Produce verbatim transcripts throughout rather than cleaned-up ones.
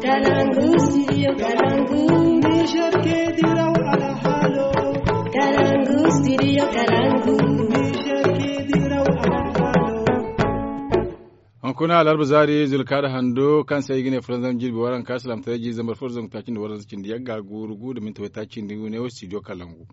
Kalangu studio kalangu. Niger ke diraw alhalo. Kalangu studio kalangu. Niger ke diraw alhalo. Hunkuna alarba zaari zulkaada hando kaŋ se ay ga ne fulanzam jirbi waranka salaamtaray jiiri zambar fo da zangu taaci nda waranza cindi yagga guuru gu nda minti waytaaci nda gu ne wo studio kalangu.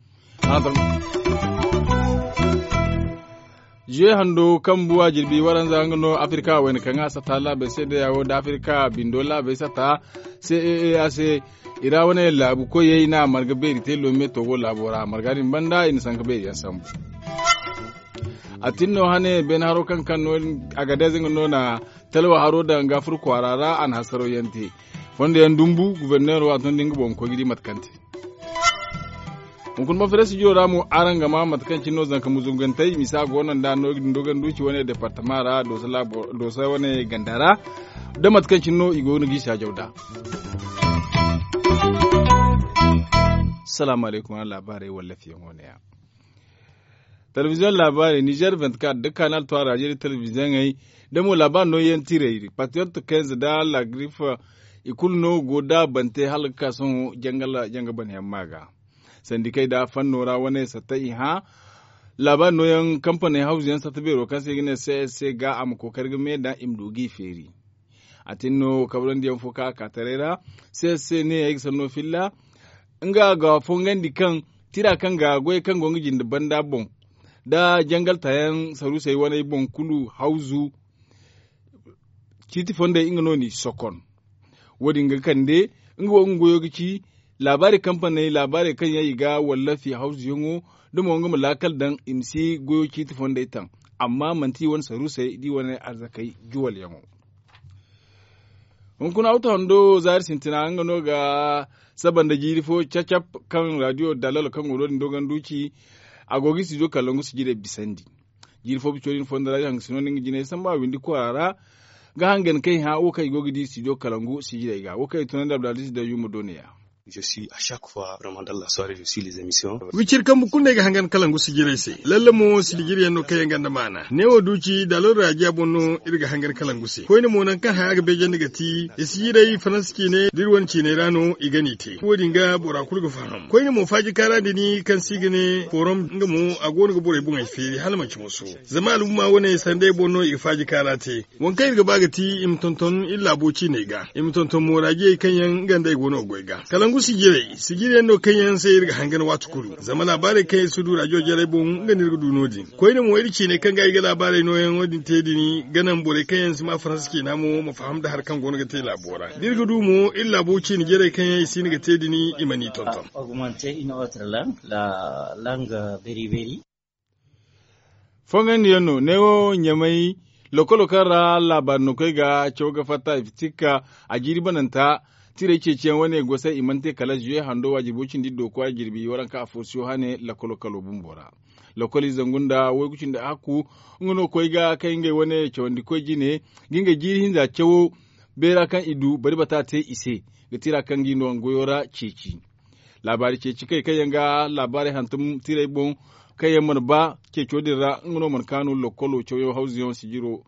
Zuwe hando kaŋ buwa jirbi waranza nga no afirka wayna kaŋ a sata laabey se da yawo da afirka bindo laabey sata. Se a se i ra wane laabu koyey na marga beeri te lome togo laabo ra marga din banda i na sanka beeri yaŋ sambu. A tin no hane beene haro kaŋ kaŋ no agadez nga no na talwa haro daŋ ga furo kwaara ra a na hasaro yaŋ te. Fondo yaŋ dumbu guberneero a tun da nga boŋ ga koy ga di mate kaŋ te. Hunkuna ma fere studio ra mo araŋ ga ma mate kaŋ cine no zanka muzungantey misa go no nda no ga din dogon duci wane departama ra doosa wane ganda ra. Da mate kaŋ cine no i go no ga i saajaw da. Salaamu alaykum araŋ laabaarey wallafiyaŋo ne ya. Telebiziyoŋ laabaarey nizer vingt-quatre da kanal trois radio da telebiziyoŋey da mo laabaari nooyaŋ tirey patriyot kenz da lagrif. I kulu no go da bante hala ga ka sohõ janga banayaŋ ma ga. Sandikey da fanno ra wane satta i hã laabaari nooyaŋ kampaney hawzuyaŋ satta beero kaŋ se i ga ne cs ga a ma kookari ga me daŋ i ma du ga i feeri. A tin no kabrandi yaŋ fo kaŋ a ka taray ra. Cs ne ay ga sanno filla nga ga fongandi kaŋ tira kaŋ ga goy kaŋ go nga jinde banda boŋ da jangal tayaŋ saruusey waney boŋ kulu hawzu. Ciiti fondey nga no n'i sokon. Wo- din ga kande nga wo nga goyo ga ci laabaari kampaney laabaarey kaŋ yaŋ i ga wallafi hawzuyaŋo da mo nga ma laakal daŋ i ma si goyo ciiti fondey taŋ. Amma manti i wane saruusey da i wane arzakey juwalyaŋo. Hunkuna awto hando zaari sintina nga no ga saba nda jiiri fo cacap kaŋ radio dalalo kaŋ go no- din dogon duci. A go ga i si du kalangu sijirey bisandi. Jiiri fo bico din fondo ra i hangasino no nga jinay samba windi kwaara ra ga hangan kaŋ i hã wo kaŋ i go ga di studio kalangu sijirey ga wo kaŋ i tunandi abdulaziz da yumma do ne ya. Wiciri kambu kulu no ay ga hangan kalangu sijirey se lalle mo sijiryaŋ no kaŋ yaŋ ganda maana neewo duuci da alwal raajiya boŋ no iri ga hangan kalangu se koyne mo nangu kaŋ haya ga beejandi ga ti i sijirey faransa ciine da iri wane ciiney ra no i gana i te wo- din ga bora kulu ga faham koyne mo faaji kaara din kaŋ se i ga ne forom nga mo a go no ga borey boŋey feeri hala manci moso. Zama alhumma wane sanday boŋ no i ga faaji kaara te. Waŋ kaŋ iri ga ba ga ti i ma tonton iri laabo ciiney ga i ma tonton mooraajiyey kaŋ yaŋ nga nd'ey go no ga goy ga kalangu sijirey sijiryaŋ no kaŋ yaŋ se iri ga hangan waati kulu zama laabaarey kaŋ iri si du raajiyo jarey boŋ nga no iri ga du no- din. Koyne mo iri ciiney kaŋ ga ay ga laabaarey nooyaŋo din te din ga naŋ borey kaŋ yaŋ si maa faransa ciina mo ma faham nda hari kaŋ go no ga te laabo ra da iri ga du mo iri laabo ciine jarey kaŋ yaŋ i si hin ga te din i mana i tonton. Augmenter une autre langue la langue beriberi. Fongandi yaŋ no neewo ɲamay lokolo kaŋ ra laabaari no koy ga caw ga fatta i fitikka a jiiri bananta. Tirey ceeciyaŋ wane gosay i mana te kala zuye hando wa jirbo cindi do kwaara jirbi waranka aforsiyo hane lokolo kalo bumbo ra. Lokoliize zangu nda waygu cindi hakku nga no koy ga kaŋ ngey wane cawandi koy jine ga ngey jiiri hinza cawo beera kaŋ i du bari bata te i se ga tira kaŋ ga i no nga goyo ra ceeci. Laabaari ceeci kay kaŋ yaŋ ga laabaarey hantum tirey boŋ kaŋ yaŋ mana ba ceeco din ra nga no mana kaanu lokolo cawyaŋ hawzuyaŋ sijiro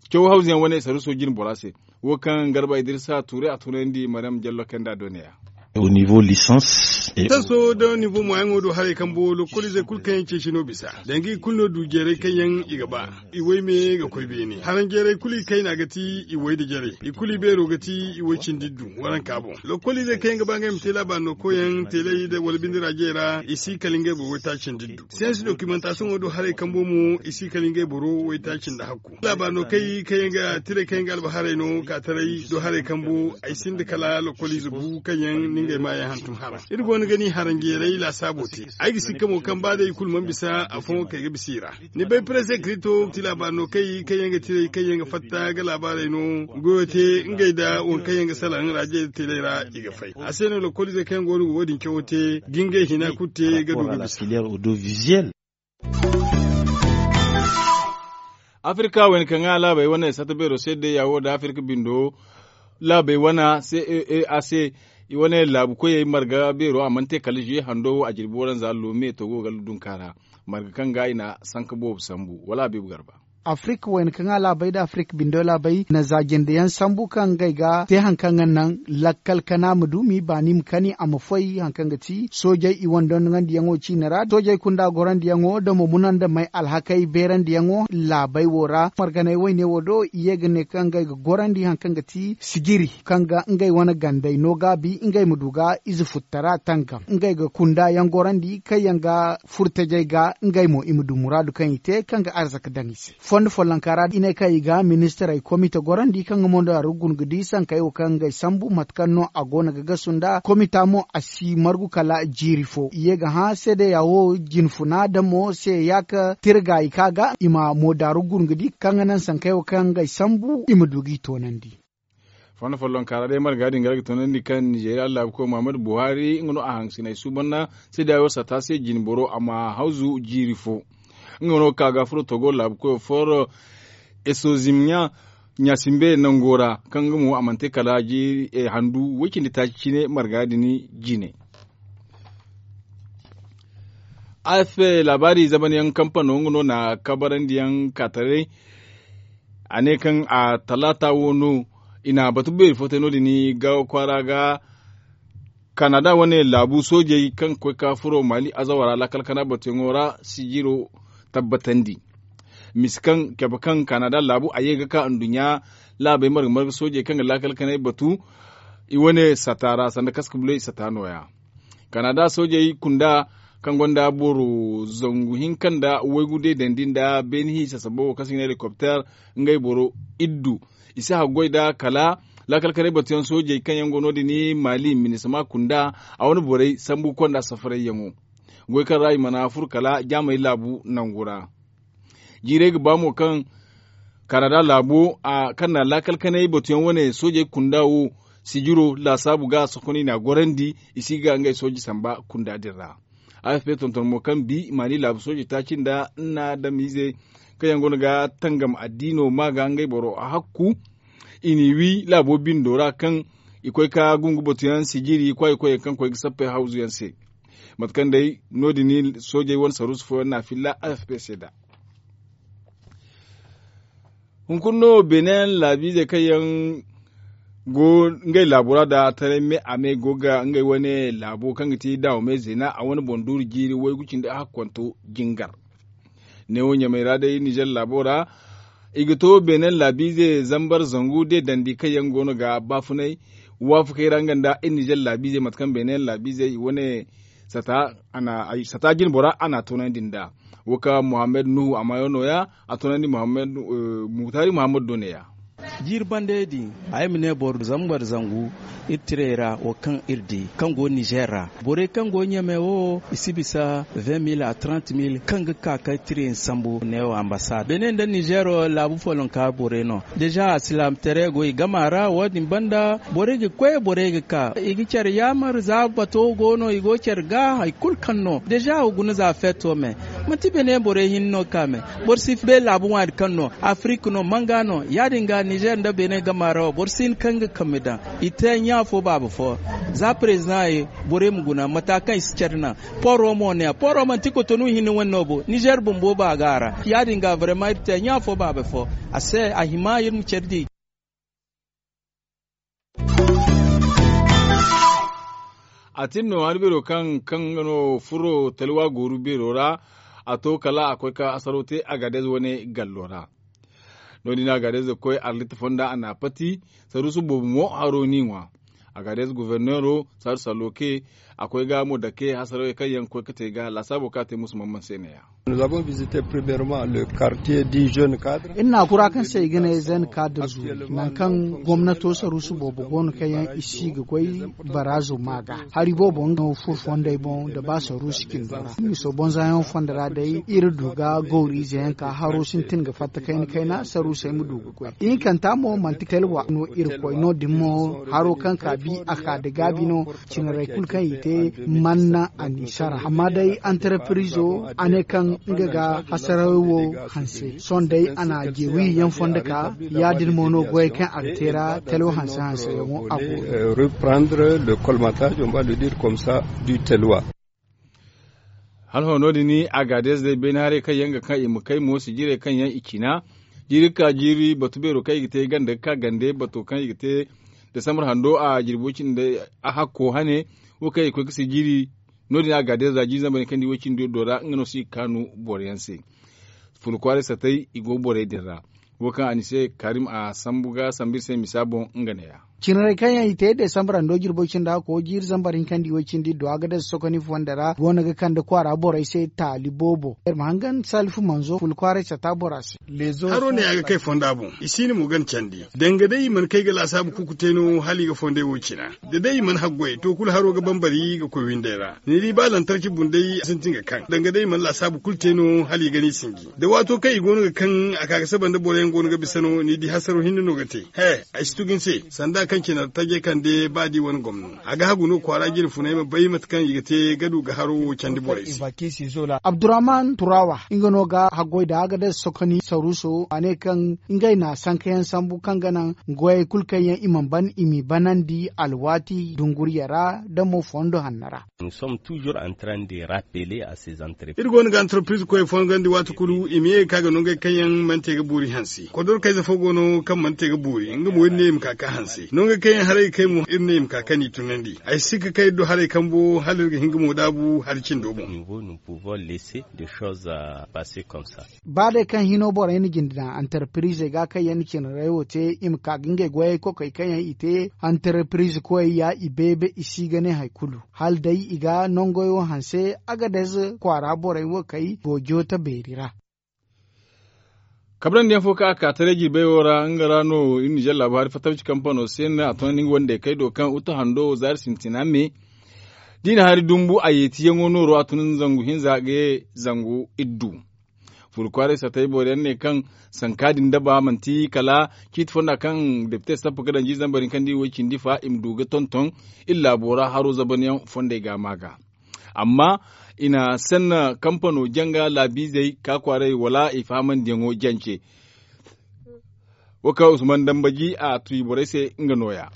caw hawzuyaŋ wane saruso jine bora se. Wo kaŋ garba idirisa tuuray a tunandi maryam jallo kaŋ da a do ne ya. Au niveau licence. Tanso da nivo moyaŋo do haray kaŋ bo lokoliizey kulu kaŋ yaŋ ceeci no bisa danga i kulu no du jeeray kaŋ yaŋ i ga ba. I way me ga koy beene haranjeeray kulu i kayna ga ti i way da jarey i kulu i beero ga ti i way cindi du waranka boŋ lokoliizey kaŋ yaŋ ga ba ngey ma te laabaari no koyyaŋ teeley wala binde raajey ra i si kala ngey boro waytaaci cindi du. Siyansi dokimantaasiyoŋo do haray kambo mo i si kala ngey boro waytaaci nda hakku laabaari no kay kaŋ yaŋ ga tirey kaŋ yaŋ ga albaharay no ka taray do haray kambo ay sinda kala lokoliize bu kaŋ yaŋ ni ngey maayaŋ hantum hara. Iri go no ga ni haranjeeray laasaabo te ay ga sikka mo kaŋ ba day i kulu mana bisa afooyaŋ kay ga bisa i ra. Ni bay prese krito ti laabaari no kay kaŋ yaŋ ga tirey kaŋ yaŋ ga fatta ga laabaarey no goyo te ngey nda waŋ kaŋ yaŋ ga salaŋ raajey da teeley ra i ga fay a se no lokoliizey kaŋ yaŋ go no ga wo- din cawo te ga ngey hina kulu te ga du ga bisa. Afirka wayna kaŋ ga laabey wane sata beero se day ya wo nda afirka bindo laabey wane se a se i wane laabu koyey marga beero a mana te kala zuye hando a jirbi waranza lome to go ga dunka ra marga kaŋ ga i na sanka boobo sambu wala a beebu garba. Afirik wayna kaŋ a laabey nda afirik bindo laabey na za jinde yaŋ sambu kaŋ ngey ga te hari kaŋ ga naŋ lakkal kana ma du m'i baani ma kani a ma foy hari kaŋ ga ti soojey i wane dondoŋandiyaŋo ciine ra soojey kunda gorandiyaŋo da mo munandamey alhakey beerandiyaŋo laabey wo ra marganey wayne wo do i ye ga ne kaŋ ngey ga gorandi hari kaŋ ga ti sijiri kaŋ ga ngey wane gandey no gaabi ngey ma du ga ize futtara tangam ngey ga kunda yaŋ gorandi kaŋ yaŋ ga furtajey ga ngey mo i ma du muraadu kaŋ i te kaŋ ga arzaka daŋ i se. Fondo follonka ra i ne kaŋ i ga ministirey komite gorandi kaŋ ga mondo a ra guna ga di sankey wo kaŋ ngey sambu mate kaŋ no a go no ga gasu nda komita mo a si margu kala jiiri fo i ye ga hã seedeya wo jinfuna da mo se ya ka tirga i ka ga i ma moodaaru guna ga di kaŋ ga naŋ sankey wo kaŋ ngey sambu i ma du g'i toonandi. Fondo follonka ra day marga din ga ga toonandi kaŋ nizeeriya laabuko muhammadu buhari nga no a hangasiney suuban na seedeya wo sata se jinboro a ma hawzu jiiri fo. Nga no ka ga furo togo laabukoyo foro esozimya ɲasimbe nango ra kaŋ nga mo a mana te kala handu way- cindi taaci cine marga din jine. Afp laabaari zamanyaŋ kampano nga no na kabarandiyaŋ kaataray a ne kaŋ a talaata wo no i na batu beeri fo te no- din ga kwaara ga kanada wane laabu soojey kaŋ ga koy ga furo maali azawara laakal kana batuyaŋo ra sijiro tabbatandi. Mise kaŋ cabe kaŋ kanada laabu a ye ga ka nduɲɲa laabey marga marga soojey kaŋ ga laakal kanay batu i wane sata ra sanda kaska buley sata nooya. Kanada soojey kunda kaŋ gonda boro zangu hinka nda waygu deedandi nda beene hiisa sabo wo kaŋ se i ga ne helikopter ngey boro iddu i si haggoy nd'a kala laakal kanay batuyaŋ soojey kaŋ yaŋ go no- din maali minisama kunda a wane borey sambu konda safarayyaŋo goy kaŋ ra i mana furo kala jaamey laabu nangu ra. Jiirey ga ba mo kaŋ kanada laabo kaŋ na laakal kanay batuyaŋ wane soojey kunda wo sijiro laasaabu ga sohõ i n'a gorandi i si ga ngey sooji samba kunda din ra. Afp tonton mo kaŋ bi maali laabu sooji taaci nda nna adamiize kaŋ yaŋ goono ga tangam addiino ma ga ngey boro hakku i n'i wi laabo bindo ra kaŋ i koy ga gungu batuyaŋ sijiri kwaayi koyyaŋ kaŋ koy ga sappey hawzuyaŋ se. Mate kaŋ day no- din soojey wane saruusu fooyaŋ na filla afp se nd'a. Hunkuna no beene laabiizey kaŋ yaŋ go ngey laabo ra nda taray me a me go ga ngey wane laabo kaŋ ga ti daawame zeena a wane boŋ duuru jiiri waygu cindi hakkonto jingar. Neewo ɲamey ra day nizer laabo ra i ga to beene laabiize zambar zangu de dandi kaŋ yaŋ go no ga baafunay waafakey ra nga nda iri nizer laabiize mate kaŋ beene laabiize i wane sata jinbora a n'a toonandi nd'a. Wo ka muhammad nuhu a maayo nooya a toonandi muhtari muhammad do neeya. Jiiri bande din ay ma ne boro zambar zangu iri tirey ra wo kaŋ iri di kaŋ go nizer ra borey kaŋ go ɲame wo i si bisa vingt mille a trente mille kaŋ ga ka ka tirey sambu neewo ambasad benin nda nizer wo laabu follonka borey no. Deja alsilaamataray go i gama ra wo- din banda borey ga koy borey ga ka i ga care yaamar za bato go no i go care ga hari kulu kaŋ no deja wo guna za feeto me. Manti benin borey hinne no ka me boro si bay laabu ŋwaari kaŋ no afirik no manga no ya- din ga nizer nda benin gama ra wo boro si hin kaŋ ga kambe daŋ i te ɲa fo baaba fo. Za president ye borey ma guna mata kaŋ i si care naŋ poro mo ne a poro manti kotonu hinne wane no bo nizer bumbo ba ga a ra ya- din ga vraiment iri te ɲa fo baaba fo. A se a hima iri ma care di. A tin no hari beero kaŋ kaŋ nga no furo talwa gooru beero ra a to kala a koy ka asaro te agaadez wane gallo ra. No- din agaadez ga koy arlit fonda a n'a pati saruusu boobo mo haro n'i ŋwa. Agaadez goforneero saaru salloke a koy ga mo dake hasarawey kaŋ yaŋ ga koy ga te ga laasaabo kaŋ a te musu mamman se neeya. Iri na kura kaŋ se i ga ne zen kaadar zuuri nangu kaŋ gomnato saruusu boobo go no kaŋ yaŋ i si ga goy baraazo ma ga hari boobo nga no furo fondey boŋ nda ba saruusu cindo ra miso bonzayaŋo fondo ra day iri du ga gawriize yaŋ ka haro sintin ga fatta kayna kayna saruusey ma du ga goy ihinkanta mo manti telwa no irkoy no- din mo haro kaŋ ka bi a ka da gaabi no. Cinarey kulu kaŋ i te manna a n'i sara amma day antarepirizo a ne kaŋ nga ga hasarawey wo hanse sohõ day a na jeewi yaŋ fondo ka ya- din mo no goyey kaŋ a ga te ra talo hanse hanseyaŋo a go. Reprendre le colmatage on va le dire comme ça du telwa. Hala hõ no- din, agaadez day beene haray kaŋ yaŋ ga kaŋ i ma kay mo sijirey kaŋ yaŋ i cina. Jiiri ga ka jiiri batu beero kaŋ i ga te ganda ga ka gande bato kaŋ i ga te desambar hando a jirbi way-cindi a hakko hane. Wo kaŋ i ga koy ga sijiri no- din agaadez ra jiiri zambar yaŋ kaŋ di way-cindi do ra nga no se i ga kaanu boro yaŋ se. Fula kwaaray satay i go borey din ra. Wo kaŋ a ni se karim a sambu ga sambu iri se misa boŋ nga neeya. Cinarey kaŋ yaŋ i te desambar hando jirbo cindi hakko jiiri zambar hinka nda iway cindi do a ga daza sokoni fonda ra go no ga kande kwaara borey se taali boobo iri ma hangan salifu manzo fula kwaaray sata bora se. Haro ne a ga kay fonda boŋ i siina mo gana candi. Danga day i mana kay ga laasaabu kuku te no hala i ga fondey wo cina. Da day i mana haggoy to kulu haro ga bambari ga koy windey ra ni di ba lantarki bundey a sintin ga kaŋ danga day i mana laasaabu kulu te no hala i ga ni sinji. Da waato kaŋ i go no ga kaŋ a ka ga saba nda boro yaŋ go no ga bisa no ni di hasaro hinne no ga te. He, ay si tugu ni se sanda kaŋ cine ra tajey kande ba da i wane gomno a ga hagu no kwaara jine funay ma bay mate kaŋ i ga te ga du ga haro wo candi borey se. Abdurrahman turawa nga no ga haggoy da a ga day sokoni saruso a ne kaŋ ngey na sankayaŋ sambu kaŋ ga naŋ goyey kulu kaŋ yaŋ i mana ban i m'i banandi alwaati dunguriya ra da mo fondo hanno ra. Iri go no ga antarpiriz koyey fongandi waati kulu i ma ye ga ka ga nongey kaŋ yaŋ mana te ga boori hanse kodorkayze fo go no kaŋ mana te ga boori nga mo iri ne i ma ka ga hanse nongey kaŋ yaŋ haray ga kay mo iri ne i ma ka ga ni tunandi ay si ga kay iri do haray kambo hala iri ga hin ga mo daabu hari cindo boŋ. Ba day kaŋ hino borey na jinde daŋ antarpirizey ga kaŋ yaŋ na cinarey wo te i ma ka ga ngey goyey kokey kaŋ yaŋ i te antarpiriz koyey ya i beebe i si ga ne hari kulu hala day i ga nongoyo hanse. Agadez kwaara borey wo kay go joota beeri ra. Kabrandi yaŋ fo kaŋ a ka taray jirbey wo ra nga ra no iri na jallaabu hari fattaw ci kampano se no a tunandi nga wandey kay do kaŋ uta hando zaari sintina me. Da i na hari dumbu a yeeti yaŋo nooro a tun zangu hinza ga ye zangu iddu. Furu kwaaray satay boro yaŋ ne kaŋ sanka din daba manti kala ciiti fonda kaŋ depite sappa ga daŋ jiiri zambar hinka nda i way cindi fa i ma du ga tonton iri laabo ra haro zaban yaŋ fondey ga a ma ga. Amma i na sanna kampano janga laabiizey ka kwaaray wala i fahamandiyaŋo jance. Wo kaŋ usman dambaji a tuyi borey se nga nooya.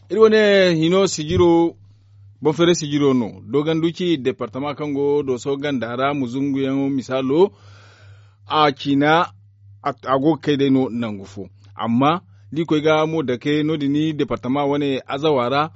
Iri wane hino sijiro banfeeray sijiro no doogandu ci departama kaŋ go dooso ganda ra muzunguyaŋo misaalo. A ciina a go ga kay day no nangu fo. Amma da i koy ga mo dake no- din departama wane azawa ra.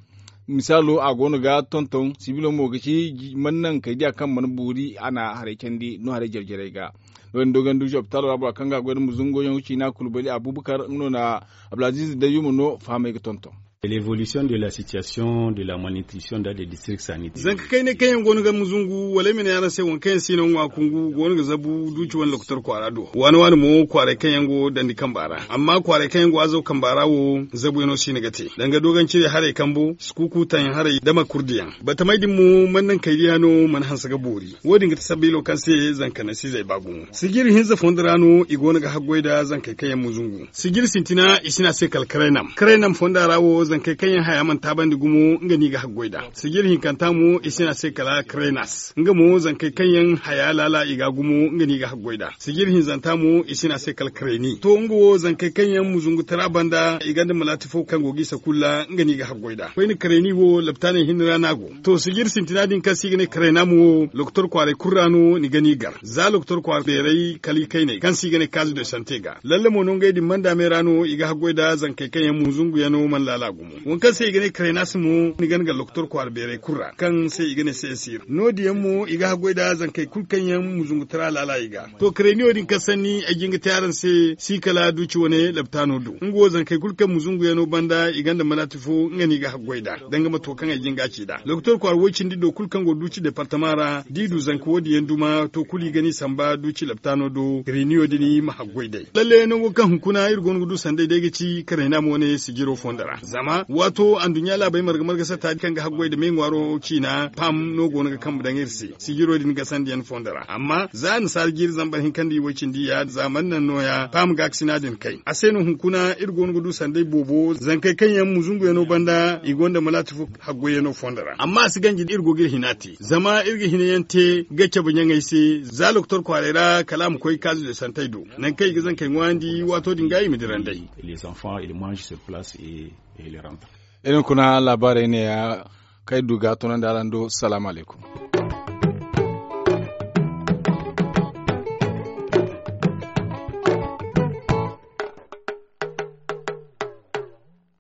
Misaalo a go no ga tonton sibilo mo ga ci mana naŋ kay diya kaŋ mana boori a na haray candi no haray jare jarey ga. No- din doogandu ci opitaalo ra bora kaŋ ga a goy nda muzunguyaŋo ciina kulbali abubakar nga no na abdulaziiz dayyuma no fahamay ga tonton. L'évolution de la situation de la malnutrition dans les districts sanitaires. Zanka kaynay kaŋ yaŋ go no ga muzungu wala ay ma ne araŋ se waŋ kaŋ yaŋ si no ŋwa kungu go no ga zabu duuci wane lokotor kwaara do waani waani mo kwaaray kaŋ yaŋ go dandi kamba ra amma kwaaray kaŋ yaŋ go azaw kamba ra wo zabuyaŋo si no ga te danga doogancirey haray kambo sukuku taŋ haray da makurdiyaŋ batamey din mo mana naŋ kaydiya no mana hanse ga boori. Wo- din ga ti sabbilo kaŋ se zanka naŋ si zay ba gumo sijiri hinza fondo ra no i go no ga haggoy nda zankey kaŋ yaŋ muzungu sijiri sintina i si ne a se kala karaynam karaynam fonda ra wo zankey kaŋ yaŋ haya mana taabandi gumo nga no i ga haggoy nd'a. Sijiri hinkanta mo i si ne a se kala karaynam nga mo zankey kaŋ yaŋ haya laala i ga gumo nga no i ga haggoy nd'a sijiri hinzanta mo i si ne a se kala karayni to nga wo zankey kaŋ yaŋ muzungu tara banda i gonda malaati fo kaŋ go ga i sakulla nga no i ga haggoy nd'a koyne karayni wo laptaaney hinne ra no a go. To sijiri sintina din kaŋ se i ga ne karaynam wo lokotor kwaaray kulu ra no ni ga no i gar za lokotor kwaara beeray kala i kayney kaŋ se i ga ne kaazi de sante ga lalle mo no ngey din manda me ra no i ga haggoy nda zankey kaŋ yaŋ muzunguyaŋo mana laala gumo waŋ kaŋ se i ga ne karaynas mo ni ga ni gar lokotor kwaara beeray kulu ra kaŋ se i ga ne se esir no- din yaŋ mo i ga haggoy nda zankey kulu kaŋ yaŋ muzungu tara laala i ga. To karayniyo din kaŋ sanni ay jin ga te araŋ se si kala duuci wane laptaano do nga wo zankey kulu kaŋ muzunguyaŋo banda i gonda malaati fo nga no i ga haggoy nd'a danga mato kaŋ ay jin ga a ci nd'a lokotor kwaara way- cindi do kulu kaŋ go duuci departama ra da i du zanka wo- din yaŋ duma to kulu i ga no i samba duuci laptaano do karayniyo din ma haggoy nd'ey lalle nango kaŋ hunkuna iri go no ga du sanday day ga ci karayna mo ne sijiro fondo ra zama waato anduɲɲa laabey marga marga satta kaŋ ga haggoy nda me ŋwaaro ciina pam no go no ga kambe daŋ iri se sijiro din gasandiyaŋ fondo ra amma za annasaara jiiri zambar hinka nda iway cindi ya za mana naŋ nooya pam gaakasina din kay a se no hunkuna iri go no ga du sanday boobo zankey kaŋ yaŋ muzunguyaŋo banda i gonda malaati fo haggoyyaŋo fondo ra amma a si ganji iri go ga iri hina te zama iri ga hinayaŋ te ga cabe ɲaŋey se za lokotor kwaaray ra kala a ma koy kaazu de santey do nangu kaŋ i ga zankey ŋwaayandi waato din ga i ma dira nd'ey. Iri hunkuna laabaarey neeya kaŋ ay du ga a tunandi araŋ do salaamu alaykum.